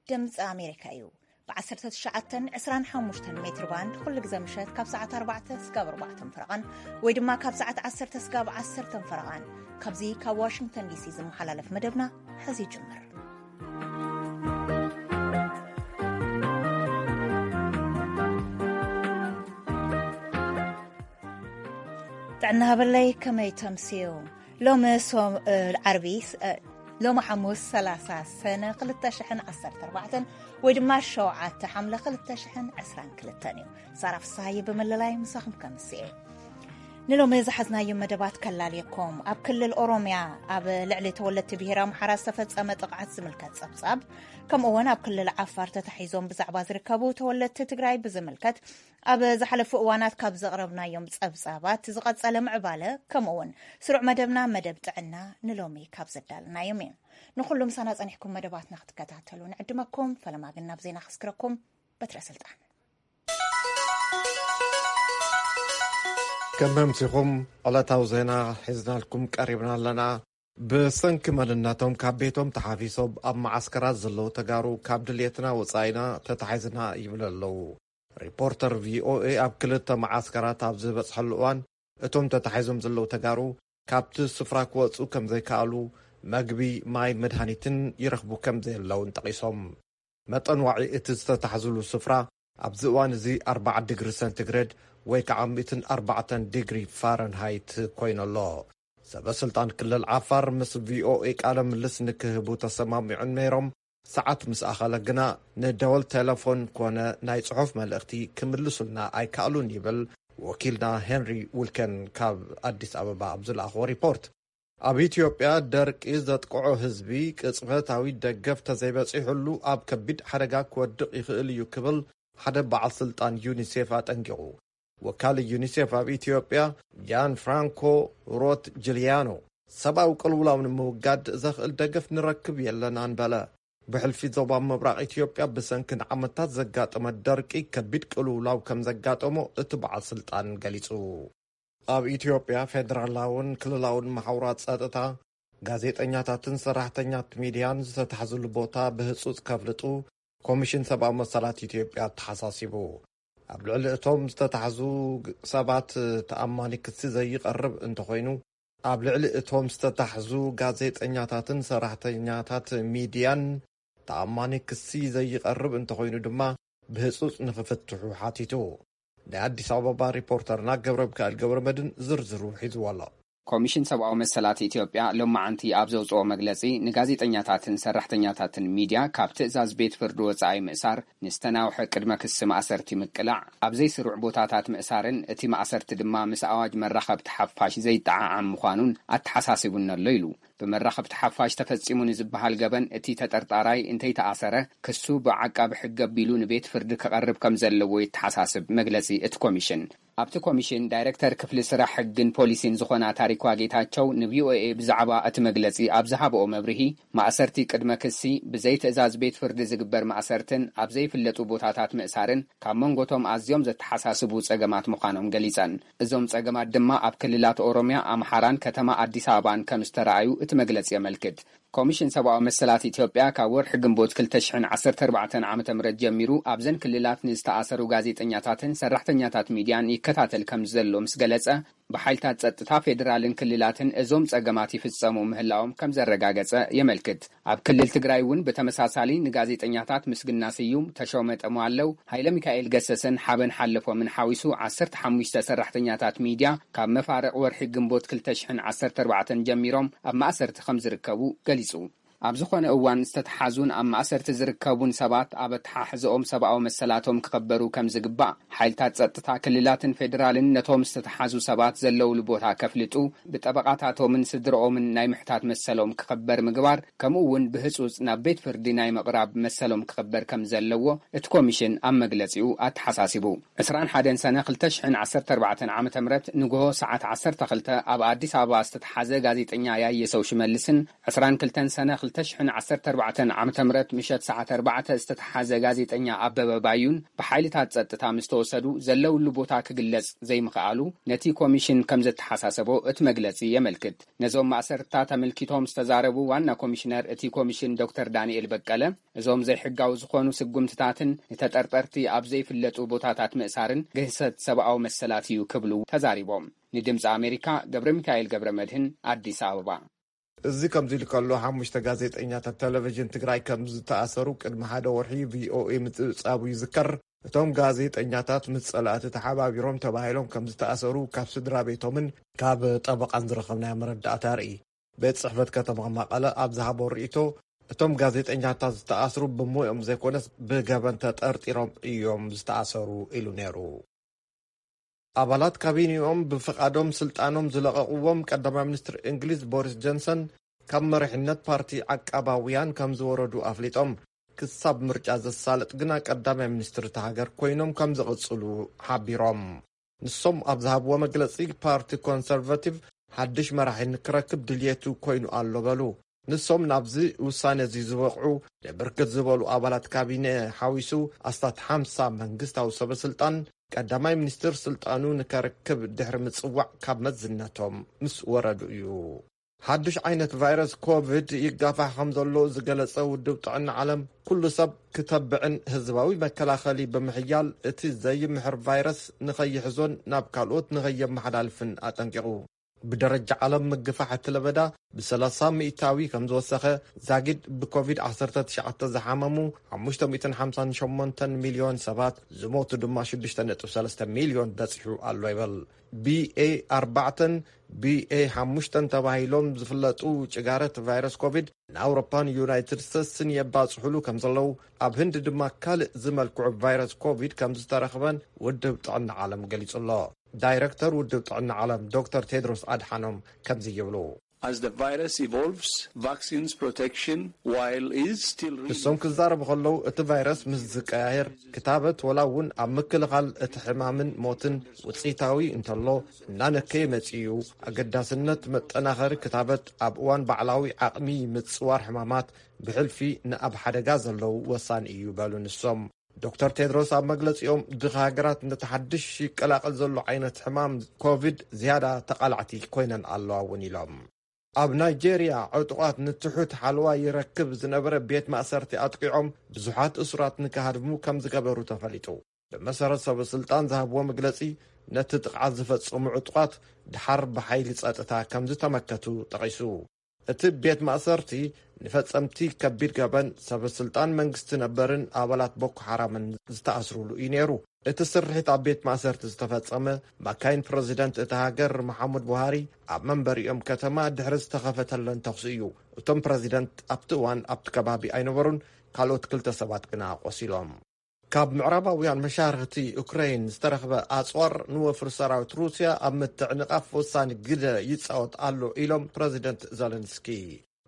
ድምፂ ኣሜሪካ እዩ። ብ19፣ 25 ሜትር ባንድ ኩሉ ግዜ ምሸት ካብ ሰዓት ኣርባዕተ ስጋብ ኣርባዕተ ፈረቓን ወይ ድማ ካብ ሰዓት ዓሰርተ ስጋብ ዓሰርተ ፈረቓን ካብዚ ካብ ዋሽንግተን ዲሲ ዝመሓላለፍ መደብና ሕዚ ይጅምር። ጥዕና ሃበለይ፣ ከመይ ተምስዩ? ሎሚ ሶም-፣ እ፣ ዓርቢ፣ እ፣ ሎሚ ሓሙስ ሰላሳ ሰነ ክልተ ሽሕን ዓሰርተ ኣርባዕተን ወይ ድማ ሸውዓተ ሓምለ ክልተ ሽሕን ዕስራን ክልተን እዩ። ሳራ ፍስሃየ ብምልላይ ምሳኹም ከምስየ። ንሎሚ ዝሓዝናዮም መደባት ከላልየኩም። ኣብ ክልል ኦሮምያ ኣብ ልዕሊ ተወለድቲ ብሄር ኣምሓራ ዝተፈጸመ ጥቕዓት ዝምልከት ጸብጻብ፣ ከምኡ እውን ኣብ ክልል ዓፋር ተታሒዞም ብዛዕባ ዝርከቡ ተወለድቲ ትግራይ ብዝምልከት ኣብ ዝሓለፉ እዋናት ካብ ዘቕረብናዮም ጸብጻባት ዝቐጸለ ምዕባለ፣ ከምኡ እውን ስሩዕ መደብና መደብ ጥዕና ንሎሚ ካብ ዘዳለናዮም እዩ። ንኹሉ ምሳና ጸኒሕኩም መደባትና ክትከታተሉ ንዕድመኩም። ፈለማ ግን ናብ ዜና ከስክረኩም። በትረ ስልጣን። ከም መምሲኹም ዕለታዊ ዜና ሒዝናልኩም ቀሪብና ኣለና። ብሰንኪ መንነቶም ካብ ቤቶም ተሓፊሶም ኣብ መዓስከራት ዘለዉ ተጋሩ ካብ ድልየትና ወጻኢና ተታሒዝና ይብሉ ኣለዉ። ሪፖርተር ቪኦኤ ኣብ ክልተ መዓስከራት ኣብ ዝበጽሐሉ እዋን፣ እቶም ተታሒዞም ዘለዉ ተጋሩ ካብቲ ስፍራ ክወጹ ከም ዘይከኣሉ፣ መግቢ፣ ማይ፣ መድሃኒትን ይረኽቡ ከም ዘየለውን ጠቒሶም። መጠን ዋዒ እቲ ዝተታሕዝሉ ስፍራ ኣብዚ እዋን እዚ ኣርባዓ ዲግሪ ሰንቲግሬድ ወይ ከዓ ሚእትን ኣርባዕተን ዲግሪ ፋረንሃይት ኮይኑ ኣሎ። ሰበ ስልጣን ክልል ዓፋር ምስ ቪኦኤ ቃለ ምልስ ንክህቡ ተሰማሚዖም ነይሮም። ሰዓት ምስ ኣኸለ ግና ንደወል ቴሌፎን ኮነ ናይ ጽሑፍ መልእኽቲ ክምልሱልና ኣይከኣሉን ይብል ወኪልና ሄንሪ ውልከን ካብ ኣዲስ ኣበባ ኣብ ዝለኣኽዎ ሪፖርት። ኣብ ኢትዮጵያ ደርቂ ዘጥቅዖ ህዝቢ ቅጽበታዊ ደገፍ ተዘይበጺሑሉ ኣብ ከቢድ ሓደጋ ክወድቕ ይኽእል እዩ ክብል ሓደ በዓል ስልጣን ዩኒሴፍ ኣጠንቂቑ። ወካሊ ዩኒሴፍ ኣብ ኢትዮጵያ ጃን ፍራንኮ ሮት ጅሊያኖ፣ ሰብኣዊ ቅልውላው ንምውጋድ ዘኽእል ደገፍ ንረክብ የለናን በለ። ብሕልፊ ዞባ ምብራቕ ኢትዮጵያ ብሰንኪ ንዓመታት ዘጋጠመ ደርቂ ከቢድ ቅልውላው ከም ዘጋጠሞ እቲ በዓል ስልጣን ገሊጹ። ኣብ ኢትዮጵያ ፌደራላውን ክልላውን መሓውራት ጸጥታ፣ ጋዜጠኛታትን ሰራሕተኛት ሚድያን ዝተታሕዝሉ ቦታ ብህጹጽ ከፍልጡ ኮሚሽን ሰብኣዊ መሰላት ኢትዮጵያ ኣተሓሳሲቡ። ኣብ ልዕሊ እቶም ዝተታሕዙ ግ-፣ ሰባት ተኣማኒ ክሲ ዘይቐርብ እንተኾይኑ፣ ኣብ ልዕሊ እቶም ዝተታሕዙ ጋዜጠኛታትን ሰራሕተኛታት ሚድያን ተኣማኒ ክሲ ዘይቐርብ እንተኾይኑ ድማ ብህጹጽ ንኽፍትሑ ሓቲቱ። ናይ ኣዲስ ኣበባ ሪፖርተርና ገብረ ሚካኤል ገብረ መድን ዝርዝሩ ሒዝዎ ኣሎ። ኮሚሽን ሰብኣዊ መሰላት ኢትዮጵያ ሎማዓንቲ ኣብ ዘውፅኦ መግለፂ፣ ንጋዜጠኛታትን ሰራሕተኛታትን ሚድያ ካብ ትእዛዝ ቤት ፍርዲ ወፃኢ ምእሳር፣ ንዝተናውሐ ቅድመ ክሲ ማእሰርቲ ምቅላዕ፣ ኣብ ዘይስሩዕ ቦታታት ምእሳርን እቲ ማእሰርቲ ድማ ምስ ኣዋጅ መራኸብቲ ሓፋሽ ዘይጠዓዓም ምዃኑን ኣተሓሳሲቡኒ ኣሎ ኢሉ። ብመራኸብቲ ሓፋሽ ተፈጺሙ ንዝበሃል ገበን እቲ ተጠርጣራይ እንተይተኣሰረ፣ ክሱ ብዓቃቢ ሕጊ ኣቢሉ ንቤት ፍርዲ ክቐርብ ከም ዘለዎ የተሓሳስብ መግለጺ እቲ ኮሚሽን። ኣብቲ ኮሚሽን ዳይሬክተር ክፍሊ ስራሕ ሕግን ፖሊሲን ዝኾና ታሪኳ ጌታቸው ንቪኦኤ ብዛዕባ እቲ መግለጺ ኣብ ዝሃብኦ መብርሂ፣ ማእሰርቲ ቅድመ ክሲ፣ ብዘይ ትእዛዝ ቤት ፍርዲ ዝግበር ማእሰርትን ኣብ ዘይፍለጡ ቦታታት ምእሳርን ካብ መንጎቶም ኣዝዮም ዘተሓሳስቡ ጸገማት ምዃኖም ገሊጸን። እዞም ጸገማት ድማ ኣብ ክልላት ኦሮሚያ፣ ኣምሓራን ከተማ ኣዲስ ኣበባን ከም ዝተረኣዩ እቲ መግለጺ የመልክት። ኮሚሽን ሰብኣዊ መሰላት ኢትዮጵያ ካብ ወርሒ ግንቦት ክልተ ሽሕን ዓሰርተ ኣርባዕተን ዓመተ ምህረት ጀሚሩ ኣብዘን ክልላት ንዝተኣሰሩ ጋዜጠኛታትን ሰራሕተኛታት ሚድያን ይከታተል ከም ዘሎ ምስ ገለጸ፣ ብሓይልታት ጸጥታ ፌዴራልን ክልላትን እዞም ጸገማት ይፍጸሙ ምህላዎም ከም ዘረጋገጸ የመልክት። ኣብ ክልል ትግራይ እውን ብተመሳሳሊ ንጋዜጠኛታት ምስግና ስዩም፣ ተሾመ ጠሟለው፣ ሃይለ ሚካኤል ገሰሰን ሓበን ሓለፎምን ሓዊሱ ዓሰርተ ሓሙሽተ ሰራሕተኛታት ሚድያ ካብ መፋርቕ ወርሒ ግንቦት ክልተ ሽሕን ዓሰርተ ኣርባዕተን ጀሚሮም ኣብ ማእሰርቲ ከም ዝርከቡ ገሊጹ። ኣብ ዝኾነ እዋን ዝተተሓዙን ኣብ ማእሰርቲ ዝርከቡን ሰባት ኣብ ኣተሓሕዝኦም ሰብኣዊ መሰላቶም ክኸበሩ ከም ዝግባእ፣ ሓይልታት ጸጥታ ክልላትን ፌዴራልን ነቶም ዝተተሓዙ ሰባት ዘለውሉ ቦታ ከፍልጡ፣ ብጠበቓታቶምን ስድርኦምን ናይ ምሕታት መሰሎም ክኸበር ምግባር፣ ከምኡ እውን ብህጹጽ ናብ ቤት ፍርዲ ናይ ምቕራብ መሰሎም ክኸበር ከም ዘለዎ እቲ ኮሚሽን ኣብ መግለጺኡ ኣተሓሳሲቡ። ዕስራን ሓደን ሰነ ክልተ ሽሕን ዓሰርተ ኣርባዕተን ዓመተ ምህረት ንግሆ ሰዓት ዓሰርተ ክልተ ኣብ ኣዲስ ኣበባ ዝተተሓዘ ጋዜጠኛ ያየሰው ሽመልስን ዕስራን ክልተን ሰነ ክልተ ሽሕን ዓሰርተ ኣርባዕተን ዓመተ ምህረት ምሸት ሰዓት ኣርባዕተ ዝተተሓዘ ጋዜጠኛ ኣበበ ባዩን ብሓይልታት ጸጥታ ምስ ተወሰዱ ዘለውሉ ቦታ ክግለጽ ዘይምኽኣሉ ነቲ ኮሚሽን ከም ዘተሓሳሰቦ እቲ መግለጺ የመልክት። ነዞም ማእሰርትታት ኣመልኪቶም ዝተዛረቡ ዋና ኮሚሽነር እቲ ኮሚሽን ዶክተር ዳንኤል በቀለ፣ እዞም ዘይሕጋዊ ዝኾኑ ስጉምትታትን ንተጠርጠርቲ ኣብ ዘይፍለጡ ቦታታት ምእሳርን ግህሰት ሰብኣዊ መሰላት እዩ ክብሉ ተዛሪቦም። ንድምፂ ኣሜሪካ ገብረ ሚካኤል ገብረ መድህን ኣዲስ ኣበባ። እዚ ከምዚ ኢሉ ከሎ፣ ሓሙሽተ ጋዜጠኛታት ቴሌቪዥን ትግራይ ከም ዝተኣሰሩ ቅድሚ ሓደ ወርሒ ቪኦኤ ምጽብጻቡ ይዝከር። እቶም ጋዜጠኛታት ምስ ጸላእቲ ተሓባቢሮም ተባሂሎም ከም ዝተኣሰሩ ካብ ስድራ ቤቶምን ካብ ጠበቓን ዝረኸብናዮ መረዳእታ የርኢ። ቤት ጽሕፈት ከተማ መቐለ ኣብ ዝሃቦ ርእይቶ፣ እቶም ጋዜጠኛታት ዝተኣስሩ ብሞኦም ዘይኮነስ ብገበን ተጠርጢሮም እዮም ዝተኣሰሩ ኢሉ ነይሩ። ኣባላት ካቢኔኦም ብፍቓዶም ስልጣኖም ዝለቐቕዎም ቀዳማይ ሚኒስትር እንግሊዝ ቦሪስ ጆንሰን፣ ካብ መሪሕነት ፓርቲ ዓቃባውያን ከም ዝወረዱ ኣፍሊጦም፣ ክሳብ ምርጫ ዘሳልጥ ግና ቀዳማይ ሚኒስትር እታ ሃገር ኮይኖም ከም ዝቕጽሉ ሓቢሮም። ንሶም ኣብ ዝሃብዎ መግለጺ፣ ፓርቲ ኮንሰርቫቲቭ ሓድሽ መራሒ ንክረክብ ድልየቱ ኮይኑ ኣሎ በሉ። ንሶም ናብዚ ውሳነ እዚ ዝበቕዑ ንብርክት ዝበሉ ኣባላት ካቢነ ሓዊሱ ኣስታት ሓምሳ መንግስታዊ ሰበ ስልጣን፣ ቀዳማይ ሚኒስትር ስልጣኑ ንከርክብ ድሕሪ ምጽዋዕ ካብ መዝነቶም ምስ ወረዱ እዩ። ሓድሽ ዓይነት ቫይረስ ኮቪድ ይጋፋሕ ከም ዘሎ ዝገለጸ ውድብ ጥዕና ዓለም፣ ኩሉ ሰብ ክተብዕን ህዝባዊ መከላኸሊ ብምሕያል እቲ ዘይምሕር ቫይረስ ንኸይሕዞን ናብ ካልኦት ንኸየመሓላልፍን ኣጠንቂቑ። ብደረጃ ዓለም ምግፋሕ እቲ ለበዳ ብ30% ከም ዝወሰኸ፣ ዛጊድ ብኮቪድ ዓሰርተ ትሽዓተ ዝሓመሙ ሓሙሽተ ሚእትን ሓምሳን ሸሞንተን ሚልዮን ሰባት፣ ዝሞቱ ድማ ሽዱሽተ ነጥቢ ሰለስተ ሚልዮን በጺሑ ኣሎ ይበል። ቢ ኤ ኣርባዕተን ቢ ኤ ሓሙሽተን ተባሂሎም ዝፍለጡ ጭጋረት ቫይረስ ኮቪድ ንኣውሮፓን ዩናይትድ ስቴትስን የባጽሑሉ ከም ዘለዉ፣ ኣብ ህንዲ ድማ ካልእ ዝመልክዑ ቫይረስ ኮቪድ ከም ዝተረኽበን ውድብ ጥዕና ዓለም ገሊጹ ኣሎ። ዳይረክተር ውድብ ጥዕና ዓለም ዶክተር ቴድሮስ ኣድሓኖም ከምዚ ይብሉ። As the virus evolves, vaccines protection, while is still ንሶም ክዛረቡ ከለዉ፣ እቲ ቫይረስ ምስ ዝቀያየር፣ ክታበት ወላ እውን ኣብ ምክልኻል እቲ ሕማምን ሞትን ውፅኢታዊ እንተሎ፣ እናነከየ መፂኡ እዩ። ኣገዳስነት መጠናኸሪ ክታበት ኣብ እዋን ባዕላዊ ዓቕሚ ምፅዋር ሕማማት ብሕልፊ ንኣብ ሓደጋ ዘለዉ ወሳኒ እዩ በሉ ንሶም። ዶክተር ቴድሮስ ኣብ መግለጺኦም፣ ድኻ ሃገራት ነቲ ሓድሽ ይቀላቐል ዘሎ ዓይነት ሕማም ኮቪድ ዝያዳ ተቓላዕቲ ኮይነን ኣለዋ እውን ኢሎም። ኣብ ናይጄርያ፣ ዕጡቓት ንትሑት ሓለዋ ይረክብ ዝነበረ ቤት ማእሰርቲ ኣጥቂዖም ብዙሓት እሱራት ንክሃድሙ ከም ዝገበሩ ተፈሊጡ። ብመሰረት ሰበ ስልጣን ዝሃብዎ መግለጺ፣ ነቲ ጥቕዓት ዝፈጸሙ ዕጡቓት ድሓር ብሓይሊ ጸጥታ ከም ዝተመከቱ ጠቒሱ። እቲ ቤት ማእሰርቲ ንፈጸምቲ ከቢድ ገበን፣ ሰበ ስልጣን መንግስቲ ነበርን ኣባላት ቦኮ ሓራምን ዝተኣስሩሉ እዩ ነይሩ። እቲ ስርሒት ኣብ ቤት ማእሰርቲ ዝተፈጸመ፣ ማካይን ፕረዚደንት እታ ሃገር መሓሙድ ቡሃሪ ኣብ መንበሪኦም ከተማ ድሕሪ ዝተኸፈተለን ተኹሲ እዩ። እቶም ፕረዚደንት ኣብቲ እዋን ኣብቲ ከባቢ ኣይነበሩን። ካልኦት ክልተ ሰባት ግና ቆሲሎም። ካብ ምዕራባውያን መሻርኽቲ ዩክረይን ዝተረኽበ ኣጽዋር ንወፍሪ ሰራዊት ሩስያ ኣብ ምትዕንቓፍ ወሳኒ ግደ ይጻወት ኣሎ ኢሎም ፕረዚደንት ዘለንስኪ።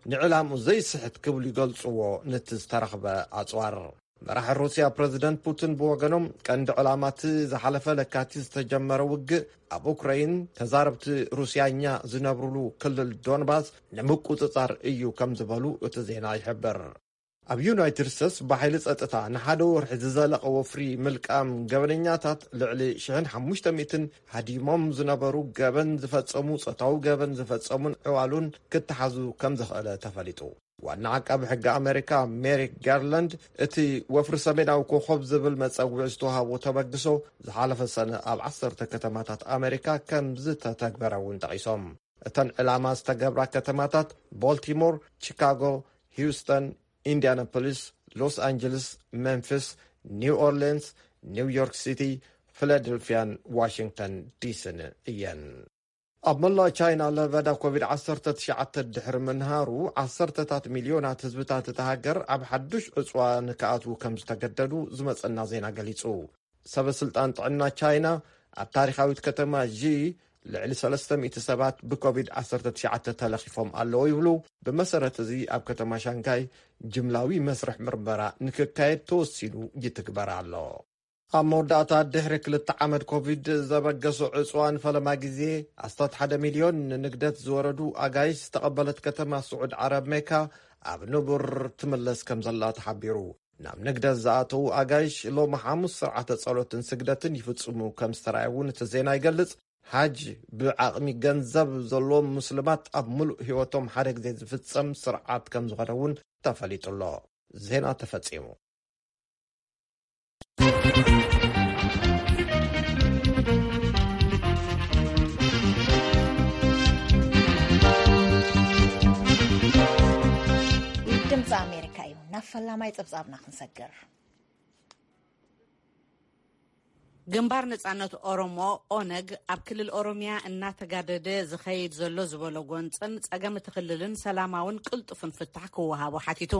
ንዕላምኡ ዘይስሕት ክብሉ ይገልጽዎ ነቲ ዝተረኽበ ኣጽዋር። መራሒ ሩስያ ፕረዚደንት ፑቲን ብወገኖም፣ ቀንዲ ዕላማ እቲ ዝሓለፈ ለካቲት ዝተጀመረ ውግእ ኣብ ኡክረይን፣ ተዛረብቲ ሩስያኛ ዝነብሩሉ ክልል ዶንባስ ንምቁጽጻር እዩ ከም ዝበሉ እቲ ዜና ይሕብር። ኣብ ዩናይትድ ስቴትስ ብሓይሊ ጸጥታ ንሓደ ወርሒ ዝዘለቐ ወፍሪ ምልቃም ገበነኛታት፣ ልዕሊ ሽሕን ሓሙሽተ ሚእትን ሃዲሞም ዝነበሩ፣ ገበን ዝፈጸሙ፣ ጾታዊ ገበን ዝፈጸሙን ዕዋሉን ክተሓዙ ከም ዝኽእለ ተፈሊጡ። ዋና ዓቃቢ ሕጊ ኣሜሪካ ሜሪክ ጋርላንድ፣ እቲ ወፍሪ ሰሜናዊ ኮኾብ ዝብል መጸውዒ ዝተዋህቦ ተበግሶ ዝሓለፈ ሰነ ኣብ ዓሰርተ ከተማታት ኣሜሪካ ከም ዝተተግበረ እውን ጠቒሶም። እተን ዕላማ ዝተገብራ ከተማታት ቦልቲሞር፣ ቺካጎ፣ ሂውስተን፣ ኢንዲያናፖሊስ፣ ሎስ ኣንጀለስ፣ ሜምፊስ፣ ኒው ኦርሊንስ፣ ኒው ዮርክ ሲቲ፣ ፊላደልፊያን ዋሽንግተን ዲሲን እየን። ኣብ መላእ ቻይና ለበዳ ኮቪድ ዓሰርተ ትሽዓተ ድሕሪ ምንሃሩ፣ ዓሰርተታት ሚልዮናት ህዝብታት እታ ሃገር ኣብ ሓዱሽ ዕጽዋ ንክኣትዉ ከም ዝተገደዱ ዝመጸና ዜና ገሊጹ። ሰበ ስልጣን ጥዕና ቻይና፣ ኣብ ታሪኻዊት ከተማ ዢ ልዕሊ ሰለስተ ሚእቲ ሰባት ብኮቪድ ዓሰርተ ትሽዓተ ተለኺፎም ኣለዉ ይብሉ። ብመሰረት እዚ፣ ኣብ ከተማ ሻንጋይ ጅምላዊ መስርሕ ምርመራ ንክካየድ ተወሲኑ ይትግበር ኣሎ። ኣብ መወዳእታ፣ ድሕሪ ክልተ ዓመት ኮቪድ ዘበገሶ ዕጽዋ ንፈለማ ግዜ ኣስታት ሓደ ሚልዮን ንንግደት ዝወረዱ ኣጋይሽ ዝተቐበለት ከተማ ስዑድ ዓረብ ሜካ፣ ኣብ ንቡር ትምለስ ከም ዘላ ተሓቢሩ። ናብ ንግደት ዝኣተዉ ኣጋይሽ ሎሚ ሓሙስ ስርዓተ ጸሎትን ስግደትን ይፍጽሙ ከም ዝተረኣየ እውን እቲ ዜና ይገልጽ። ሓጅ ብዓቕሚ ገንዘብ ዘለዎም ሙስልማት ኣብ ምሉእ ህይወቶም ሓደ ግዜ ዝፍጸም ስርዓት ከም ዝኾነ እውን ተፈሊጡ ኣሎ። ዜና ተፈጺሙ። ድምፂ ኣሜሪካ እዩ። ናብ ፈላማይ ፀብፃብና ክንሰግር። ግንባር ነጻነት ኦሮሞ፣ ኦነግ፣ ኣብ ክልል ኦሮሚያ እናተጋደደ ዝኸይድ ዘሎ ዝበሎ ጎንፅን ፀገም እቲ ክልልን ሰላማውን ቅልጡፍን ፍታሕ ክወሃቦ ሓቲቱ።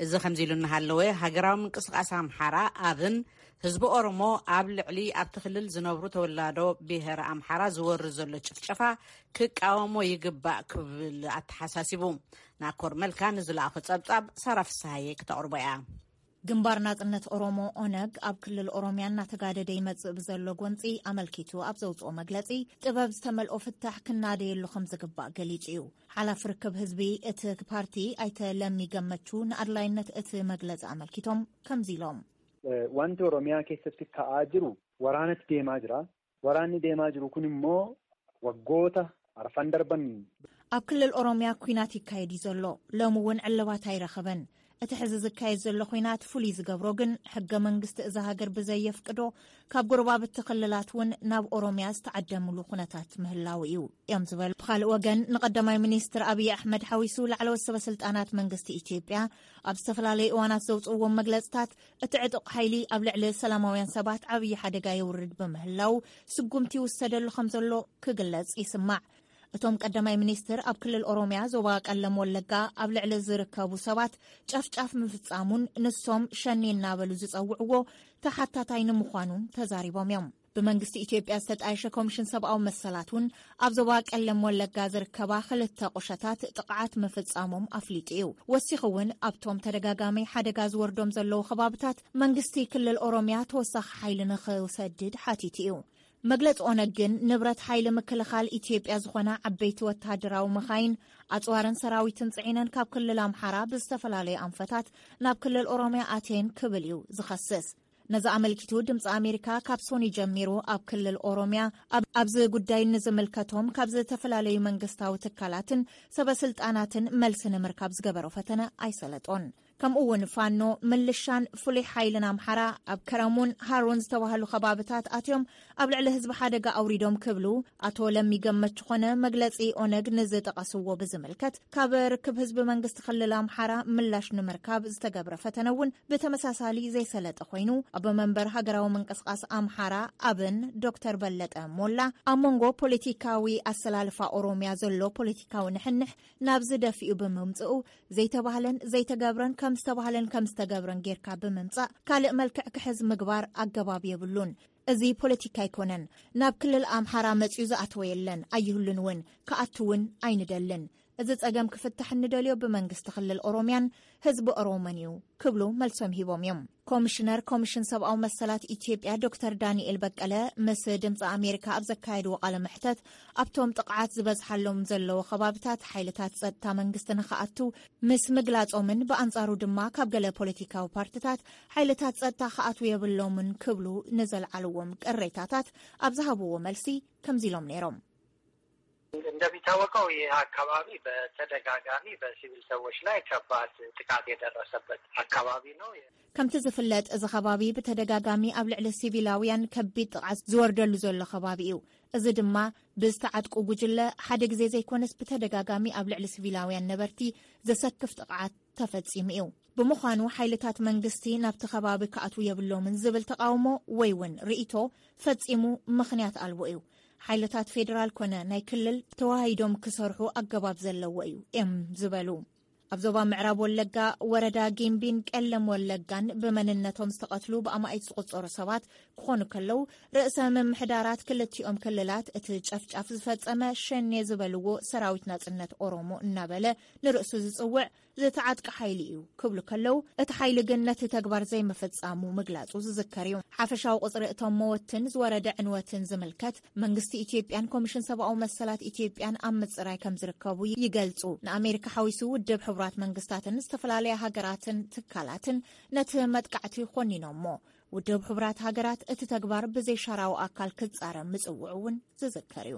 እዚ ከምዚ ኢሉ እናሃለወ፣ ሃገራዊ ምንቅስቃስ ኣምሓራ፣ ኣብን፣ ህዝቢ ኦሮሞ ኣብ ልዕሊ ኣብቲ ክልል ዝነብሩ ተወላዶ ብሄረ ኣምሓራ ዝወርድ ዘሎ ጭፍጨፋ ክቃወሞ ይግባእ ክብል ኣተሓሳሲቡ። ናኮር መልካ ንዝለኣኾ ጸብጻብ ሳራ ፍስሃየ ክተቕርቦ እያ። ግንባር ናጽነት ኦሮሞ፣ ኦነግ፣ ኣብ ክልል ኦሮሚያ እናተጋደደ ይመጽእ ብዘሎ ጎንጺ ኣመልኪቱ ኣብ ዘውጽኦ መግለጺ፣ ጥበብ ዝተመልኦ ፍታሕ ክናደየሉ ከም ዝግባእ ገሊጹ እዩ። ሓላፊ ርክብ ህዝቢ እቲ ፓርቲ ኣይተ ለሚ ገመቹ ንኣድላይነት እቲ መግለጺ ኣመልኪቶም ከምዚ ኢሎም። Wanti Oromiyaa keessatti ka'aa jiru waraanatti deemaa jira. Waraanni deemaa jiru kun immoo waggoota arfan darban ኣብ ክልል ኦሮሚያ ኲናት ይካየድ እዩ ዘሎ። ሎሚ እውን ዕልባት ኣይረኸበን። እቲ ሕዚ ዝካየድ ዘሎ ኲናት ፍሉይ ዝገብሮ ግን ሕገ መንግስቲ እዛ ሃገር ብዘየፍቅዶ ካብ ጎረባብቲ ክልላት እውን ናብ ኦሮሚያ ዝተዓደምሉ ኩነታት ምህላው እዩ እዮም ዝበሉ። ብኻልእ ወገን ንቀዳማይ ሚኒስትር ኣብይ ኣሕመድ ሓዊሱ ላዕለዎት ሰበ ስልጣናት መንግስቲ ኢትዮጵያ ኣብ ዝተፈላለዩ እዋናት ዘውፅእዎም መግለፅታት እቲ ዕጡቕ ሓይሊ ኣብ ልዕሊ ሰላማውያን ሰባት ዓብዪ ሓደጋ የውርድ ብምህላው ስጉምቲ ይውሰደሉ ከም ዘሎ ክግለጽ ይስማዕ። እቶም ቀዳማይ ሚኒስትር ኣብ ክልል ኦሮሚያ ዞባ ቀለም ወለጋ ኣብ ልዕሊ ዝርከቡ ሰባት ጨፍጫፍ ምፍጻሙን ንሶም ሸኔ እናበሉ ዝጸውዕዎ ተሓታታይ ንምዃኑን ተዛሪቦም እዮም። ብመንግስቲ ኢትዮጵያ ዝተጣየሸ ኮሚሽን ሰብኣዊ መሰላት እውን ኣብ ዞባ ቀለም ወለጋ ዝርከባ ክልተ ቁሸታት ጥቕዓት ምፍጻሞም ኣፍሊጡ እዩ። ወሲኹ እውን ኣብቶም ተደጋጋሚ ሓደጋ ዝወርዶም ዘለዉ ከባብታት መንግስቲ ክልል ኦሮሚያ ተወሳኺ ሓይሊ ንኽሰድድ ሓቲቱ እዩ። መግለፂ ኦነግ ግን ንብረት ሓይሊ ምክልኻል ኢትዮጵያ ዝኾና ዓበይቲ ወታደራዊ መኻይን፣ ኣፅዋርን ሰራዊትን ፅዒነን ካብ ክልል ኣምሓራ ብዝተፈላለዩ ኣንፈታት ናብ ክልል ኦሮሚያ ኣትየን ክብል እዩ ዝኸስስ። ነዚ ኣመልኪቱ ድምፂ ኣሜሪካ ካብ ሶኒ ጀሚሩ ኣብ ክልል ኦሮሚያ ኣብ- ኣብዚ ጉዳይ ንዝምልከቶም ካብ ዝተፈላለዩ መንግስታዊ ትካላትን ሰበ ስልጣናትን መልሲ ንምርካብ ዝገበሮ ፈተነ ኣይሰለጦን። ከምኡ እውን ፋኖ፣ ምልሻን ፍሉይ ሓይልን ኣምሓራ ኣብ ከረሙን ሃሩን ዝተባህሉ ከባብታት ኣትዮም ኣብ ልዕሊ ህዝቢ ሓደጋ ኣውሪዶም ክብሉ ኣቶ ለሚ ገመቹ ኮነ መግለፂ ኦነግ ንዝጠቐስዎ ብዝምልከት ካብ ርክብ ህዝቢ መንግስቲ ክልል ኣምሓራ ምላሽ ንምርካብ ዝተገብረ ፈተነ እውን ብተመሳሳሊ ዘይሰለጠ ኮይኑ ኣቦ መንበር ሃገራዊ ምንቅስቃስ ኣምሓራ ኣብን ዶክተር በለጠ ሞላ ኣብ መንጎ ፖለቲካዊ ኣሰላልፋ ኦሮሚያ ዘሎ ፖለቲካዊ ንሕንሕ ናብዚ ደፊኡ ብምምፅኡ ዘይተባህለን ዘይተገብረን ከም ዝተባህለን ከም ዝተገብረን ጌርካ ብምምፃእ ካልእ መልክዕ ክሕዝ ምግባር ኣገባብ የብሉን። እዚ ፖለቲካ ኣይኮነን። ናብ ክልል ኣምሓራ መፅዩ ዝኣተወ የለን፣ ኣይህሉን እውን፣ ክኣቱ እውን ኣይንደልን። እዚ ፀገም ክፍታሕ እንደልዮ ብመንግስቲ ክልል ኦሮሚያን ህዝቢ ኦሮሞን እዩ ክብሉ መልሶም ሂቦም እዮም። ኮሚሽነር ኮሚሽን ሰብኣዊ መሰላት ኢትዮጵያ ዶክተር ዳንኤል በቀለ ምስ ድምፂ ኣሜሪካ ኣብ ዘካየድዎ ቃለ መሕተት ኣብቶም ጥቕዓት ዝበዝሓሎም ዘለዉ ከባብታት ሓይልታት ፀጥታ መንግስቲ ንክኣቱ ምስ ምግላፆምን ብኣንፃሩ ድማ ካብ ገለ ፖለቲካዊ ፓርትታት ሓይልታት ፀጥታ ክኣትዉ የብሎምን ክብሉ ንዘልዓልዎም ቅሬታታት ኣብ ዝሃብዎ መልሲ ከምዚ ኢሎም ነይሮም። እንደሚታወቀው ይህ አካባቢ በተደጋጋሚ በሲቪል ሰዎች ላይ ከባድ ጥቃት የደረሰበት አካባቢ ነው። ከምቲ ዝፍለጥ እዚ ከባቢ ብተደጋጋሚ ኣብ ልዕሊ ሲቪላውያን ከቢድ ጥቕዓት ዝወርደሉ ዘሎ ከባቢ እዩ። እዚ ድማ ብዝተዓጥቁ ጉጅለ ሓደ ግዜ ዘይኮነስ ብተደጋጋሚ ኣብ ልዕሊ ሲቪላውያን ነበርቲ ዘሰክፍ ጥቕዓት ተፈጺሙ እዩ። ብምዃኑ ሓይልታት መንግስቲ ናብቲ ከባቢ ክኣትዉ የብሎምን ዝብል ተቓውሞ ወይ እውን ርእይቶ ፈጺሙ ምኽንያት ኣልቦ እዩ። ሓይልታት ፌደራል ኮነ ናይ ክልል ተዋሃሂዶም ክሰርሑ ኣገባብ ዘለዎ እዩ እዮም ዝበሉ። ኣብ ዞባ ምዕራብ ወለጋ ወረዳ ጊምቢን ቀለም ወለጋን ብመንነቶም ዝተቐትሉ ብኣማኢት ዝቑጸሩ ሰባት ክኾኑ ከለዉ ርእሰ ምምሕዳራት ክልቲኦም ክልላት እቲ ጨፍጫፍ ዝፈጸመ ሸኔ ዝበልዎ ሰራዊት ናጽነት ኦሮሞ እናበለ ንርእሱ ዝጽውዕ ዝተዓጥቀ ሓይሊ እዩ ክብሉ ከለዉ፣ እቲ ሓይሊ ግን ነቲ ተግባር ዘይምፍጻሙ ምግላጹ ዝዝከር እዩ። ሓፈሻዊ ቁጽሪ እቶም መወትን ዝወረደ ዕንወትን ዝምልከት መንግስቲ ኢትዮጵያን ኮሚሽን ሰብኣዊ መሰላት ኢትዮጵያን ኣብ ምጽራይ ከም ዝርከቡ ይገልጹ። ንኣሜሪካ ሓዊሱ ውድብ ሕቡራት መንግስታትን ዝተፈላለያ ሃገራትን ትካላትን ነቲ መጥቃዕቲ ኮኒኖሞ። ውድብ ሕቡራት ሃገራት እቲ ተግባር ብዘይሻራዊ ኣካል ክጻረም ምጽውዑ እውን ዝዝከር እዩ።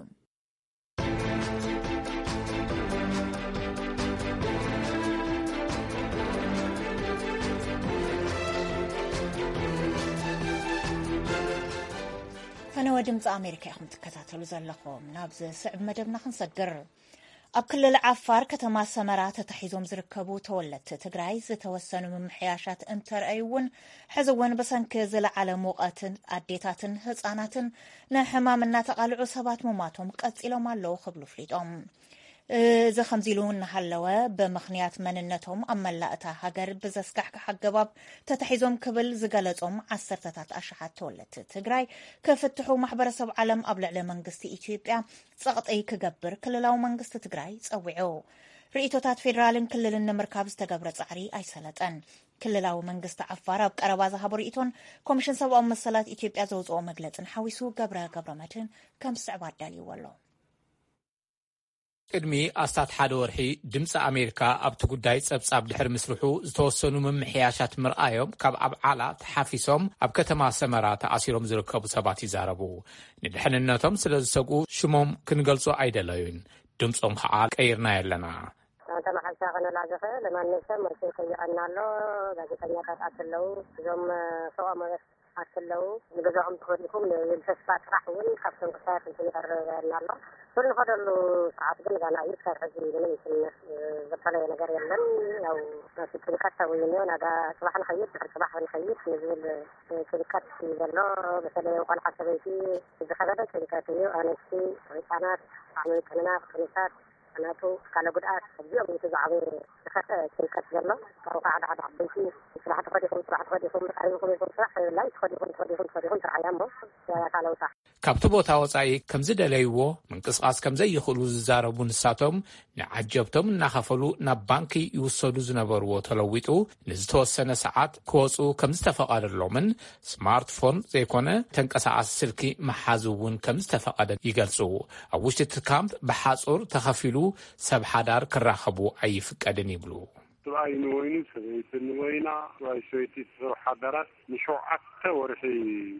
ፈነወ ድምፂ ኣሜሪካ ኢኹም ትከታተሉ ዘለኹም። ናብ ዝስዕብ መደብና ክንሰግር። ኣብ ክልል ዓፋር ከተማ ሰመራ ተታሒዞም ዝርከቡ ተወለድቲ ትግራይ ዝተወሰኑ ምምሕያሻት እንተርኣዩ እውን፣ ሕዚ እውን ብሰንኪ ዝለዓለ ሙቐትን ኣዴታትን ህፃናትን ንሕማም እናተቓልዑ ሰባት ምሟቶም ቀፂሎም ኣለዉ ክብሉ ፍሊጦም። እዚ ከምዚ ኢሉ እናሃለወ፣ ብምኽንያት መንነቶም ኣብ መላእ እታ ሃገር ብዘስካሕክሕ ኣገባብ ተታሒዞም ክብል ዝገለጾም ዓሰርተታት ኣሽሓት ተወለድቲ ትግራይ ክፍትሑ ማሕበረሰብ ዓለም ኣብ ልዕሊ መንግስቲ ኢትዮጵያ ጸቕጢ ክገብር ክልላዊ መንግስቲ ትግራይ ጸዊዑ። ርእይቶታት ፌደራልን ክልልን ንምርካብ ዝተገብረ ጻዕሪ ኣይሰለጠን። ክልላዊ መንግስቲ ዓፋር ኣብ ቀረባ ዝሃቦ ርእይቶን ኮሚሽን ሰብኣዊ መሰላት ኢትዮጵያ ዘውፅኦ መግለጽን ሓዊሱ ገብረ ገብረ መድህን ከም ዝስዕብ ኣዳልይዎ ኣሎ። ቅድሚ ኣስታት ሓደ ወርሒ ድምፂ ኣሜሪካ ኣብቲ ጉዳይ ጸብጻብ ድሕሪ ምስርሑ፣ ዝተወሰኑ ምምሕያሻት ምርኣዮም ካብ ኣብ ዓላ ተሓፊሶም ኣብ ከተማ ሰመራ ተኣሲሮም ዝርከቡ ሰባት ይዛረቡ። ንድሕንነቶም ስለ ዝሰግኡ ሽሞም ክንገልጾ ኣይደለዩን። ድምጾም ከዓ ቀይርናዮ ኣለና። ኣንተ መሓሻ ከነላ ዝኽእል ማንም ሰብ መልሲ ይጠይቐና ኣሎ። ጋዜጠኛታት ኣትለው እዞም ፎቆ መበስ ኣትለው ንገዛኦም ተኸዲኹም ንብል ተስፋ ጥራሕ እውን ካብቶም ክሳያት እንትን ይቐርበና ኣሎ። ስር ንኸደሉ ሰዓት ግን ጋና እዩ። ክሳብ ሕዚ ምንም እንትን ዘፈለየ ነገር የለን። ያው ናቲ ጭንቀት ሰው እዩ። ናዳ ጽባሕ ንኸይድ ድሕሪ ጽባሕ ንኸይድ ንዝብል ጭንቀት እዩ ዘሎ። በተለይ ቆልዓ ሰበይቲ ዝኸበደ ጭንቀት እዩ። ኣነስቲ ህፃናት ብጣዕሚ ጥንናት ጥኑሳት ናቱ ኣካለ ጉድኣት ኣብዚኦም እዩ እቲ ዝዓበየ ዝኸፍአ ጭንቀት ዘሎ። ካብኡ ከዓ ሓደ ሓደ ዓበይቲ ስራሕ ተኸዲኹም ስራሕ ተኸዲኹም ብጣዕሚ ኢኹም ኢኹም ስራሕ የብላይ ተኸዲኹም ተኸዲኹም ተኸዲኹም ትርዓያ እሞ ያታ ለውጣ። ካብቲ ቦታ ወፃኢ ከምዝደለይዎ ምንቅስቃስ ከምዘይኽእሉ ዝዛረቡ ንሳቶም፣ ንዓጀብቶም እናኸፈሉ ናብ ባንኪ ይውሰዱ ዝነበርዎ ተለዊጡ ንዝተወሰነ ሰዓት ክወፁ ከምዝተፈቐደሎምን ስማርትፎን ዘይኮነ ተንቀሳቓሲ ስልኪ መሓዝ እውን ከምዝተፈቐደ ይገልፁ። ኣብ ውሽጢ እቲ ካምፕ ብሓፁር ተኸፊሉ ሰብ ሓዳር ክራኸቡ ኣይፍቀድን ይብሉ። ሰብኣይ ንወይኑ፣ ሰበይቲ ንወይና፣ ሰብኣይ ሰበይቲ፣ ሰብ ሓዳራት ንሸውዓተ ወርሒ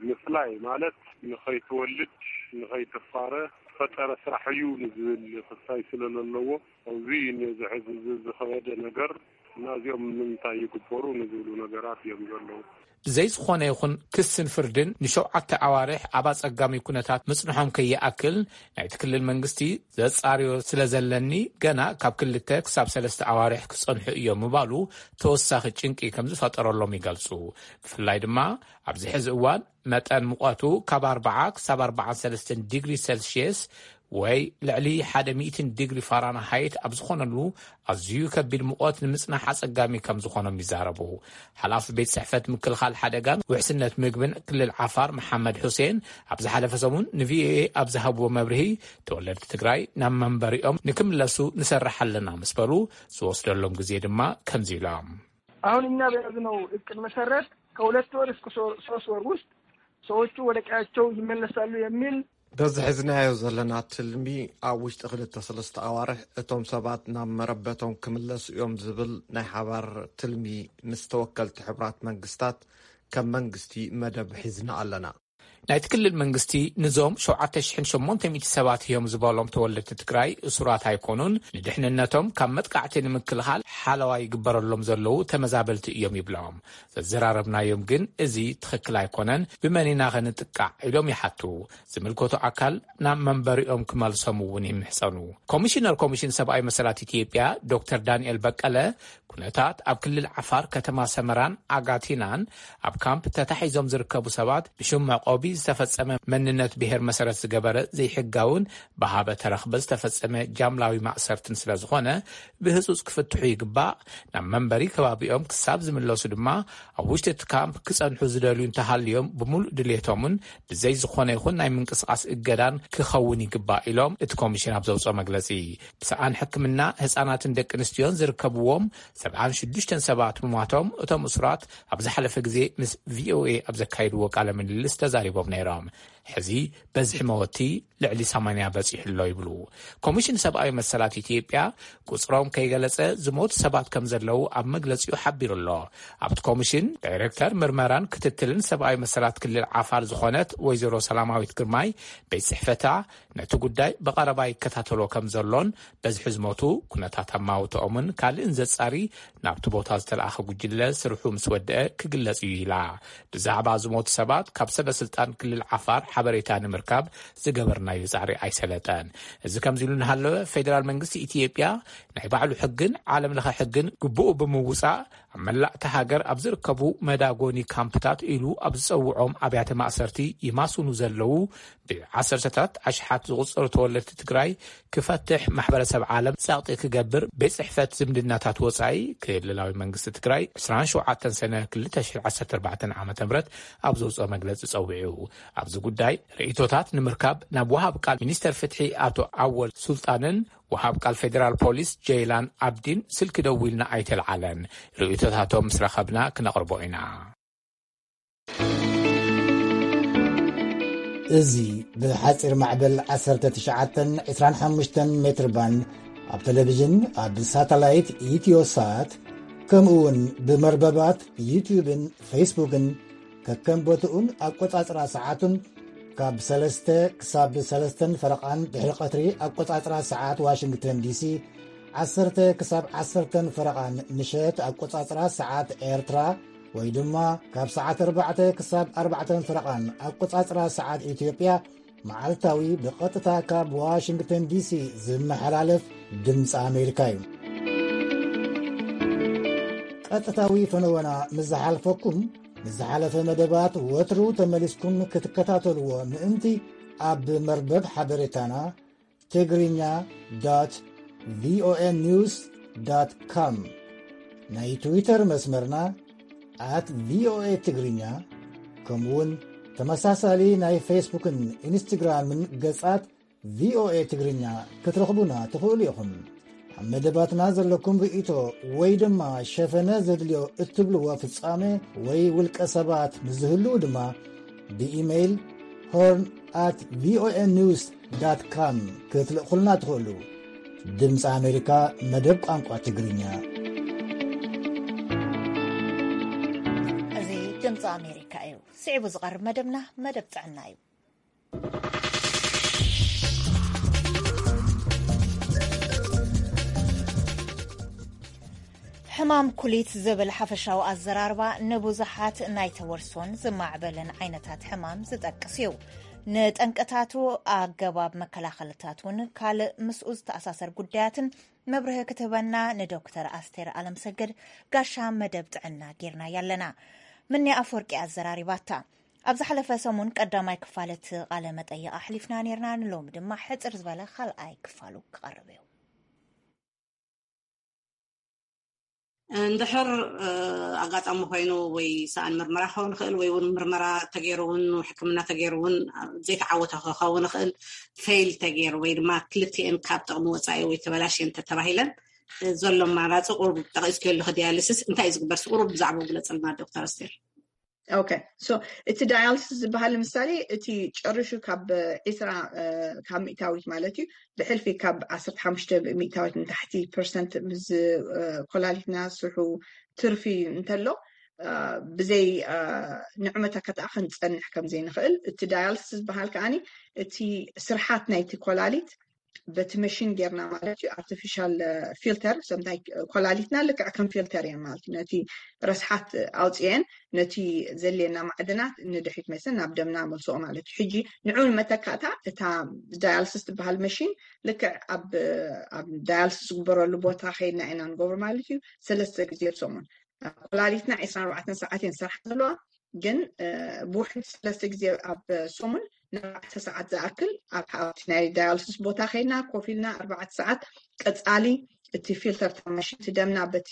ምፍላይ ማለት ንኸይትወልድ፣ ንኸይትፋረ ዝፈጠረ ስራሕ እዩ ንዝብል ክሳይ ስለ ዘለዎ፣ እዚ ነዚ ሕዚ እዚ ዝኸበደ ነገር እና እዚኦም ንምንታይ ይግበሩ ንዝብሉ ነገራት እዮም ዘለዉ። ብዘይ ዝኾነ ይኹን ክስን ፍርድን ንሸውዓተ ኣዋርሕ ኣብ ኣጸጋሚ ኩነታት ምጽንሖም ከይኣክል፣ ናይቲ ክልል መንግስቲ ዘጻርዮ ስለ ዘለኒ፣ ገና ካብ ክልተ ክሳብ ሰለስተ ኣዋርሕ ክጸንሑ እዮም ምባሉ ተወሳኺ ጭንቂ ከም ዝፈጠረሎም ይገልጹ። ብፍላይ ድማ ኣብዚ ሕዚ እዋን መጠን ሙቐቱ ካብ ኣርባዓ ክሳብ ኣርባዓን ሰለስተን ዲግሪ ሴልሽየስ ወይ ልዕሊ ሓደ ሚእትን ዲግሪ ፋራንሃይት ኣብ ዝኾነሉ ኣዝዩ ከቢድ ሙቐት ንምጽናሕ ኣጸጋሚ ከም ዝኾኖም ይዛረቡ። ሓላፊ ቤት ጽሕፈት ምክልኻል ሓደጋን ውሕስነት ምግብን ክልል ዓፋር መሓመድ ሑሴን ኣብ ዝሓለፈ ሰሙን ንቪኦኤ ኣብ ዝሃብዎ መብርሂ፣ ተወለድቲ ትግራይ ናብ መንበሪኦም ንክምለሱ ንሰርሕ ኣለና ምስ በሉ፣ ዝወስደሎም ግዜ ድማ ከምዚ ኢሎም። አሁን እኛ በያዝነው እቅድ መሰረት ከሁለት ወር እስከ ሶ-፣ ሶስት ወር ውስጥ ሰዎቹ ወደ ቀያቸው ይመለሳሉ የሚል በዚ ሒዝናዮ ዘለና ትልሚ ኣብ ውሽጢ ክልተ ሰለስተ ኣዋርሕ እቶም ሰባት ናብ መረበቶም ክምለሱ እዮም ዝብል ናይ ሓባር ትልሚ ምስ ተወከልቲ ሕቡራት መንግስታት ከም መንግስቲ መደብ ሒዝና ኣለና። ናይቲ ክልል መንግስቲ ንዞም ሸውዓተ ሽሕን ሸሞንተ ሚእቲ ሰባት እዮም ዝበሎም ተወለድቲ ትግራይ እሱራት ኣይኮኑን፣ ንድሕንነቶም ካብ መጥቃዕቲ ንምክልኻል ሓለዋ ይግበረሎም ዘለዉ ተመዛበልቲ እዮም ይብሎም። ዘዘራረብናዮም ግን እዚ ትኽክል ኣይኮነን፣ ብመን ኢና ኸ ንጥቃዕ ኢሎም ይሓቱ። ዝምልከቶ ኣካል ናብ መንበሪኦም ክመልሶም እውን ይምሕጸኑ። ኮሚሽነር ኮሚሽን ሰብኣዊ መሰላት ኢትዮጵያ ዶክተር ዳንኤል በቀለ፣ ኩነታት ኣብ ክልል ዓፋር ከተማ ሰመራን ኣጋቲናን ኣብ ካምፕ ተታሒዞም ዝርከቡ ሰባት ብሽም መዕቆቢ ዝተፈጸመ መንነት ብሔር መሰረት ዝገበረ ዘይሕጋውን ብሃበ ተረኽበ ዝተፈጸመ ጃምላዊ ማእሰርትን ስለ ዝኾነ፣ ብህጹጽ ክፍትሑ ይግባእ። ናብ መንበሪ ከባቢኦም ክሳብ ዝምለሱ ድማ፣ ኣብ ውሽጢ እቲ ካምፕ ክጸንሑ ዝደልዩ እንተሃልዮም፣ ብምሉእ ድሌቶምን ብዘይ ዝኾነ ይኹን ናይ ምንቅስቓስ እገዳን ክኸውን ይግባእ ኢሎም፣ እቲ ኮሚሽን ኣብ ዘውፅኦ መግለጺ። ብሰኣን ሕክምና ህፃናትን ደቂ ኣንስትዮን ዝርከብዎም ሰብዓን ሽዱሽተን ሰባት ምሟቶም እቶም እሱራት ኣብ ዝሓለፈ ግዜ ምስ ቪኦኤ ኣብ ዘካየድዎ ቃለ ምልልስ ተዛሪቦም ነይሮም። ሕዚ በዝሒ መወቲ ልዕሊ ሰማንያ በፂሑ ኣሎ ይብሉ። ኮሚሽን ሰብኣዊ መሰላት ኢትዮጵያ ቁፅሮም ከይገለፀ ዝሞቱ ሰባት ከም ዘለዉ ኣብ መግለፂኡ ሓቢሩ ኣሎ። ኣብቲ ኮሚሽን ዳይሬክተር ምርመራን ክትትልን ሰብኣዊ መሰላት ክልል ዓፋር ዝኾነት ወይዘሮ ሰላማዊት ግርማይ፣ ቤት ጽሕፈታ ነቲ ጉዳይ ብቐረባ ይከታተሎ ከም ዘሎን፣ በዝሒ ዝሞቱ፣ ኩነታት ኣማውትኦምን ካልእን ዘጻሪ ናብቲ ቦታ ዝተለኣኸ ጉጅለ ስርሑ ምስ ወደአ ክግለጽ እዩ ኢላ። ብዛዕባ ዝሞቱ ሰባት ካብ ሰበ ስልጣን ክልል ዓፋር ሓበሬታ ንምርካብ ዝገበርናዮ ጻዕሪ ኣይሰለጠን። እዚ ከምዚ ኢሉ እናሃለወ፣ ፌደራል መንግስቲ ኢትዮጵያ ናይ ባዕሉ ሕግን ዓለም ለኸ ሕግን ግቡኡ ብምውጻእ፣ ኣብ መላእ እታ ሃገር ኣብ ዝርከቡ መዳጎኒ ካምፕታት ኢሉ ኣብ ዝጸውዖም ኣብያተ ማእሰርቲ ይማስኑ ዘለዉ ብዓሰርተታት ኣሽሓት ዝቑጸሩ ተወለድቲ ትግራይ ክፈትሕ ማሕበረሰብ ዓለም ጸቕጢ ክገብር ቤት ጽሕፈት ዝምድናታት ወጻኢ ክልላዊ መንግስቲ ትግራይ ዕስራን ሸውዓተን ሰነ ክልተ ሽሕን ዓሰርተ ኣርባዕተን ዓመተ ምህረት ኣብ ዘውጽኦ መግለጺ ጸዊዑ። ኣብዚ ጉዳይ ርእይቶታት ንምርካብ ናብ ወሃብ ቃል ሚኒስተር ፍትሒ ኣቶ ኣወል ሱልጣንን ወሃብ ቃል ፌደራል ፖሊስ ጀይላን ኣብዲን ስልኪ ደዊልና ኣይተልዓለን። ርእይቶታቶም ምስ ረኸብና ክነቕርቦ ኢና። እዚ ብሓጺር ማዕበል ዓሰርተ ትሽዓተን ዕስራን ሓሙሽተን ሜትር ባንድ፣ ኣብ ቴሌቪዥን፣ ኣብ ሳተላይት ኢትዮሳት፣ ከምኡ እውን ብመርበባት ዩትዩብን ፌስቡክን፣ ከከም ቦትኡን ኣቆጻጽራ ሰዓቱን፣ ካብ ሰለስተ ክሳብ ሰለስተን ፈረቓን ድሕሪ ቀትሪ ኣቆጻጽራ ሰዓት ዋሽንግተን ዲሲ፣ ዓሰርተ ክሳብ ዓሰርተን ፈረቓን ምሸት ኣቆጻጽራ ሰዓት ኤርትራ፣ ወይ ድማ ካብ ሰዓት ኣርባዕተ ክሳብ ኣርባዕተን ፈረቓን ኣቆጻጽራ ሰዓት ኢትዮጵያ፣ መዓልታዊ ብቐጥታ ካብ ዋሽንግተን ዲሲ ዝመሓላለፍ ድምፂ ኣሜሪካ እዩ። ቀጥታዊ ፈነወና ምስ ዝሓልፈኩም፣ ንዝሓለፈ መደባት ወትሩ ተመሊስኩም ክትከታተልዎ ምእንቲ፣ ኣብ መርበብ ሓበሬታና ትግርኛ ዶት ቪኦኤ ኒውስ ዶት ኮም፣ ናይ ትዊተር መስመርና ኣት ቪኦኤ ትግርኛ፣ ከምኡውን ተመሳሳሊ ናይ ፌስቡክን ኢንስትግራምን ገጻት ቪኦኤ ትግርኛ ክትረኽቡና ትኽእሉ ኢኹም። ኣብ መደባትና ዘለኩም ርእይቶ ወይ ድማ ሸፈነ ዘድልዮ እትብልዎ ፍጻመ ወይ ውልቀ ሰባት ምስ ዝህልዉ ድማ ብኢሜይል ሆርን ኣት ቪኦኤ ኒውስ ዳት ካም ክትልእኹልና ትኽእሉ። ድምፂ ኣሜሪካ መደብ ቋንቋ ትግርኛ። እዚ ድምፂ ኣሜሪካ እዩ። ስዒቡ ዝቐርብ መደብና መደብ ጥዕና እዩ። ሕማም ኩሊት ዝብል ሓፈሻዊ ኣዘራርባ ንብዙሓት ናይ ተወርሶን ዝማዕበለን ዓይነታት ሕማም ዝጠቅስ እዩ። ንጠንቅታቱ፣ ኣገባብ መከላኸልታት እውን ካልእ ምስኡ ዝተኣሳሰር ጉዳያትን መብርሂ ክትህበና ንዶክተር ኣስቴር ኣለምሰገድ ጋሻ መደብ ጥዕና ጌርናያ ኣለና። ምኒ ኣፈወርቂ ኣዘራሪባታ። ኣብ ዝሓለፈ ሰሙን ቀዳማይ ክፋል እቲ ቃለ መጠይቕ ኣሕሊፍና ኔርና፣ ንሎሚ ድማ ሕጽር ዝበለ ካልኣይ ክፋሉ ክቐርብ እዩ። እንድሕር፣ እ፣ ኣጋጣሚ ኮይኑ ወይ ሰኣን ምርመራ ክኸውን ይኽእል ወይ እውን ምርመራ ተገይሩ እውን ሕክምና ተገይሩ እውን ዘይተዓወተ ክኸውን ይኽእል፣ ፌይል ተገይሩ ወይ ድማ ክልቲኤን ካብ ጥቕሚ ወፃኢ ወይ ተበላሽየን ተተባሂለን፣ እ፣ ዘሎ ኣማራፂ ቁሩብ ጠቒስክዮ ኣለኹ፣ ዲያሊሲስ እንታይ እዩ ዝግበር? ቁሩብ ብዛዕባኡ ግለፀልና ዶክተር ኣስቴር። ኦኬ። ሶ እቲ ዳያልስስ ዝበሃል ንምሳሌ እቲ ጨሪሹ ካብ ዒስራ፣ እ፣ ካብ ሚእታዊት ማለት እዩ፣ ብሕልፊ ካብ ዓሰርተ ሓሙሽተ ሚእታዊት ንታሕቲ ፐርሰንት ምስ፣ እ፣ ኮላሊትና ስርሑ ትርፊ እንተሎ፣ እ፣ ብዘይ፣ እ፣ ንዑ መተካእታ ክንጸንሕ ከም ዘይንኽእል፣ እቲ ዳያልስስ ዝበሃል ከኣኒ እቲ ስርሓት ናይቲ ኮላሊት በቲ መሽን ጌርና ማለት እዩ፣ ኣርቲፊሻል ፊልተር፣ ሰምታይ ኮላሊትና ልክዕ ከም ፊልተር እየን ማለት እዩ። ነቲ ረስሓት ኣውፅኤን ነቲ ዘድልየና ማዕድናት ንድሕሪት መሰን ናብ ደምና መልስኦ ማለት እዩ። ሕጂ ንዑ ንመተካእታ እታ ዳያልስስ ትበሃል መሽን ልክዕ ኣብ፣ ኣብ ዳያልስስ ዝግበረሉ ቦታ ከይድና ኢና ንገብሮ ማለት እዩ። ሰለስተ ግዜ ኣብ ሰሙን። ኮላሊትና ዕስራን ኣርባዕተን ሰዓት እየን ዝሰርሓ ዘለዋ። ግን ብውሕድ ሰለስተ ግዜ ኣብ ሰሙን ንኣርባዕተ ሰዓት ዝኣክል ኣብ ሓንቲ ናይ ዳያልስስ ቦታ ከይና ኮፍ ኢልና ኣርባዕተ ሰዓት ቀፃሊ እቲ ፊልተር ተማሽንቲ ደምና በቲ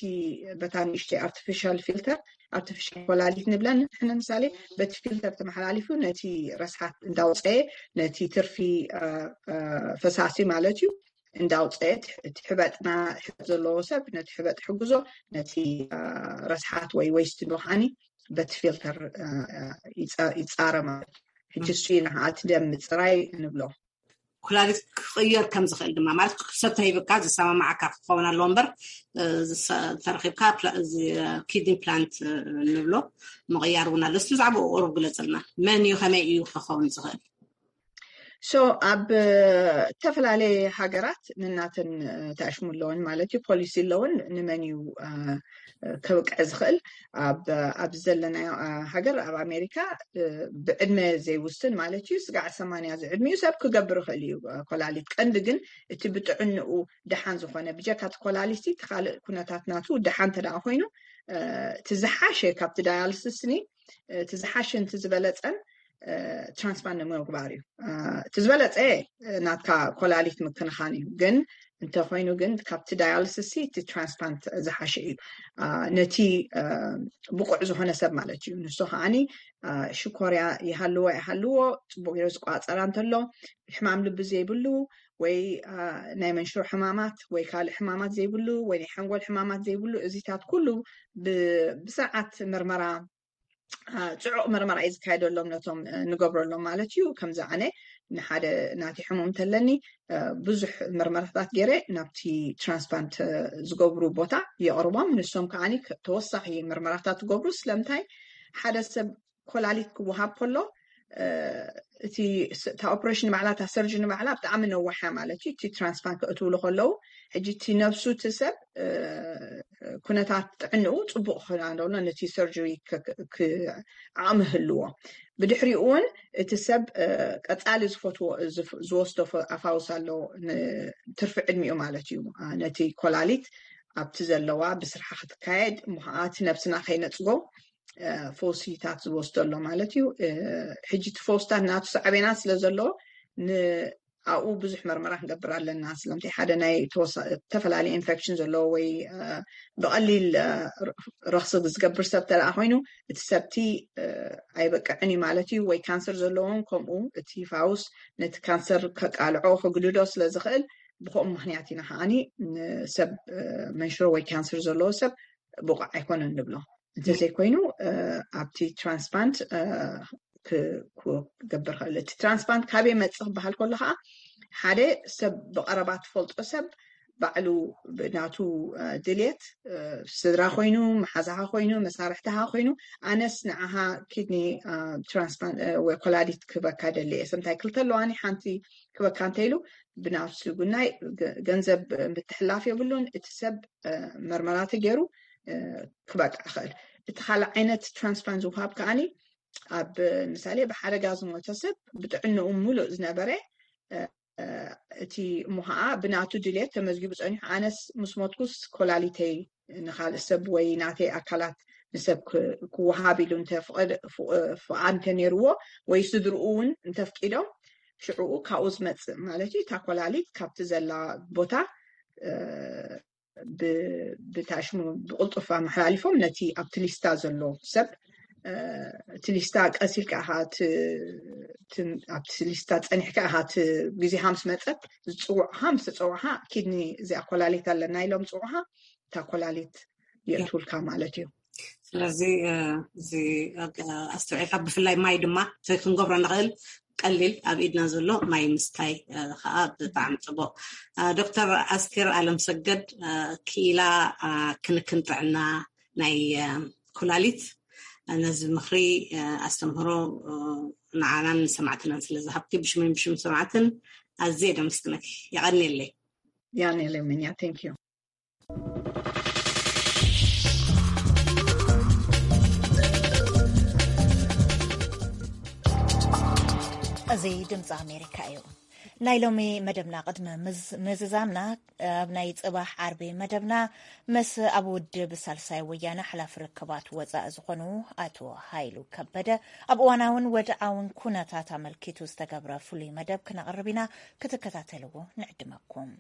በታ ንእሽተይ ኣርቲፊሻል ፊልተር ኣርቲፊሻል ኮላሊት ንብለን ንሕነ ምሳሌ በቲ ፊልተር ተመሓላሊፉ ነቲ ረስሓት እንዳውፀየ ነቲ ትርፊ ፈሳሲ ማለት እዩ እንዳውፀየ እቲ ሕበጥና ሕበጥ ዘለዎ ሰብ ነቲ ሕበጥ ሕግዞ ነቲ ረስሓት ወይ ወይስት ንብሓኒ በቲ ፊልተር ይፃረ ማለት ሕጂ እሱ ኢና እቲ ደም ምፅራይ ንብሎ። ኩላሊት ክቕየር ከም ዝኽእል ድማ ማለት ሰብ ተሂብካ ዝሰማማዓካ ክኸውን ኣለዎ እምበር ተረኪብካ ኪድኒ ፕላንት ንብሎ ምቕያር እውን ኣሎ። እስቲ ብዛዕባኡ ቁሩብ ግለፅልና። መን እዩ ከመይ እዩ ክኸውን ዝኽእል? So ኣብ ዝተፈላለየ ሃገራት ንናተን ተኣሽሙ ኣለውን ማለት እዩ ፖሊሲ ኣለውን ንመን እዩ ከብቅዕ ዝኽእል ኣብ ኣብዚ ዘለናዮ ሃገር ኣብ ኣሜሪካ ብዕድመ ዘይውስን ማለት እዩ ስጋዕ ሰማንያ ዝዕድሚኡ ሰብ ክገብር ይኽእል እዩ ኮላሊት ቀንዲ ግን እቲ ብጥዕንኡ ደሓን ዝኾነ ብጀካ እቲ ኮላሊቲ እቲ ካልእ ኩነታት ናቱ ደሓን እንተ ኮይኑ እቲ ዝሓሸ ካብቲ ዳያልስስኒ እቲ ዝሓሸ ንቲ ዝበለፀን ትራንስፕላንት ንምግባር እዩ እቲ ዝበለፀ ናትካ ኮላሊት ምክንኻን እዩ ግን እንተኮይኑ ግን ካብቲ ዳያልስሲ እቲ ትራንስፕላንት ዝሓሸ እዩ ነቲ ብቁዕ ዝኾነ ሰብ ማለት እዩ ንሱ ከዓኒ ሽኮርያ ይሃልዎ ይሃልዎ ፅቡቅ ገይሩ ዝቋፀራ እንተሎ ሕማም ልቢ ዘይብሉ ወይ ናይ መንሽሮ ሕማማት ወይ ካልእ ሕማማት ዘይብሉ ወይ ናይ ሓንጎል ሕማማት ዘይብሉ እዚታት ኩሉ ብስርዓት ምርመራ ፅዑቕ ምርመራ እዩ ዝካየደሎም ነቶም ንገብረሎም ማለት እዩ ከምዚ ኣነ ንሓደ ናቲ ሕሙም እንተለኒ ብዙሕ ምርመራታት ገይረ ናብቲ ትራንስፕላንት ዝገብሩ ቦታ የቕርቦም ንሶም ከዓ ተወሳኺ ምርመራታት ትገብሩ ስለምንታይ ሓደ ሰብ ኮላሊት ክወሃብ ከሎ እቲ እታ ኦፕሬሽን ባዕላ እታ ሰርጅን ባዕላ ብጣዕሚ ነዋሓ ማለት እዩ እቲ ትራንስፕላንት ክእትውሉ ከለዉ ሕጂ እቲ ነብሱ እቲ ሰብ ኩነታት ጥዕንኡ ፅቡቅ ክኾና ደሎ ነቲ ሰርጀሪ ዓቕሚ ህልዎ ብድሕሪኡ እውን እቲ ሰብ ቀፃሊ ዝፈትዎ ዝወስዶ ኣፋውስ ኣሎ ትርፊ ዕድሚኡ ማለት እዩ ነቲ ኮላሊት ኣብቲ ዘለዋ ብስርሓ ክትካየድ እሞ ከዓ እቲ ነብስና ከይነፅጎ ፈውሲታት ዝወስዶ ኣሎ ማለት እዩ ሕጂ እቲ ፈውስታት ናቱ ሳዕቤናት ስለ ዘሎ ኣብኡ ብዙሕ መርመራ ክንገብር ኣለና ስለምንታይ ሓደ ናይ ተፈላለየ ኢንፌክሽን ዘለዎ ወይ ብቐሊል ረክሲ ዝገብር ሰብ ተደኣ ኮይኑ እቲ ሰብቲ ኣይበቅዕን እዩ ማለት እዩ ወይ ካንሰር ዘለዎም ከምኡ እቲ ፋውስ ነቲ ካንሰር ከቃልዖ ክግድዶ ስለ ዝኽእል ብከምኡ ምክንያት ኢና ከዓኒ ንሰብ መንሽሮ ወይ ካንሰር ዘለዎ ሰብ ብቑዕ ኣይኮነን ንብሎ እንተዘይኮይኑ ኣብቲ ትራንስፕላንት ክገብር ክእል እቲ ትራንስፕላንት ካበይ መፅእ ክበሃል ከሎ ከዓ ሓደ ሰብ ብቀረባ ትፈልጦ ሰብ ባዕሉ ናቱ ድልየት ስድራ ኮይኑ መሓዛኻ ኮይኑ መሳርሕትኻ ኮይኑ ኣነስ ንዓኻ ኪድኒ ትራንስፕላንት ወይ ኮላሊት ክበካ ደሊ እየ ሰምታይ ክልተ ኣለዋኒ ሓንቲ ክበካ እንተኢሉ ብናፍሱ ጉናይ ገንዘብ ምትሕላፍ የብሉን እቲ ሰብ መርመራ ተገይሩ ክበቅዕ ይኽእል እቲ ካልእ ዓይነት ትራንስፕላንት ዝውሃብ ከዓኒ ኣብ ምሳሌ ብሓደጋ ዝሞተ ሰብ ብጥዕንኡ ሙሉእ ዝነበረ እቲ እሞ ከዓ ብናቱ ድልየት ተመዝጊቡ ፀኒሑ ኣነስ ምስ ሞትኩስ ኮላሊተይ ንካልእ ሰብ ወይ ናተይ ኣካላት ንሰብ ክወሃብ ኢሉ ፍቃድ እንተነይርዎ ወይ ስድርኡ እውን እንተፍቂዶም ሽዕኡ ካብኡ ዝመፅእ ማለት እዩ እታ ኮላሊት ካብቲ ዘላ ቦታ ብታሽሙ ብቅልጡፍ ኣመሓላሊፎም ነቲ ኣብቲ ሊስታ ዘሎ ሰብ እቲ ሊስታ ቀሲልካ ኢኻ ኣብቲ ሊስታ ፀኒሕካ ኢኻ እቲ ግዜኻ ምስ መፀት ዝፅውዕኻ ምስ ተፀውዕኻ ኪድኒ እዚኣ ኮላሊት ኣለና ኢሎም ዝፅውዕኻ እታ ኮላሊት የእትውልካ ማለት እዩ ስለዚ እዚ ኣስተውዒልካ ብፍላይ ማይ ድማ እቲ ክንገብሮ ንኽእል ቀሊል ኣብ ኢድና ዘሎ ማይ ምስታይ ከዓ ብጣዕሚ ፅቡቅ ዶክተር ኣስቴር ኣለም ሰገድ ክኢላ ክንክን ጥዕና ናይ ኩላሊት ነዚ ምኽሪ ኣስተምህሮ ንዓናን ንሰማዕትናን ስለ ዝሃብቲ ብሽምን ብሽም ሰማዕትን ኣዝየ ደምስትነኪ የቐንየለይ ያኔ ለምንያ thank you እዚ ድምፂ ኣሜሪካ እዩ ናይ ሎሚ መደብና ቅድሚ ምዝዛምና፣ ኣብ ናይ ጽባሕ ዓርቢ መደብና ምስ ኣብ ውድብ ሳልሳይ ወያነ ሓላፊ ርክባት ወጻኢ ዝኾኑ ኣቶ ሃይሉ ከበደ፣ ኣብ እዋናውን ወድዓውን ኩነታት ኣመልኪቱ ዝተገብረ ፍሉይ መደብ ክነቕርብ ኢና። ክትከታተልዎ ንዕድመኩም።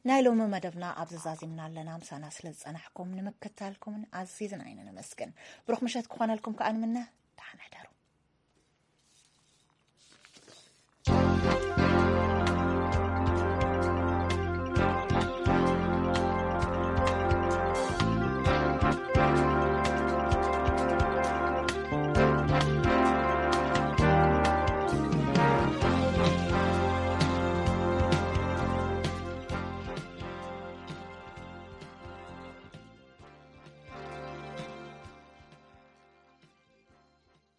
ናይ ሎሚ መደብና ኣብዚ ዛዚምና ኣለና። ምሳና ስለ ዝጸናሕኩም ንምክታልኩምን ኣዚዝና ኢና ነመስግን። ብሩኽ ምሸት ክኾነልኩም ከኣ ንምነ። ደሓን ሕደሩ።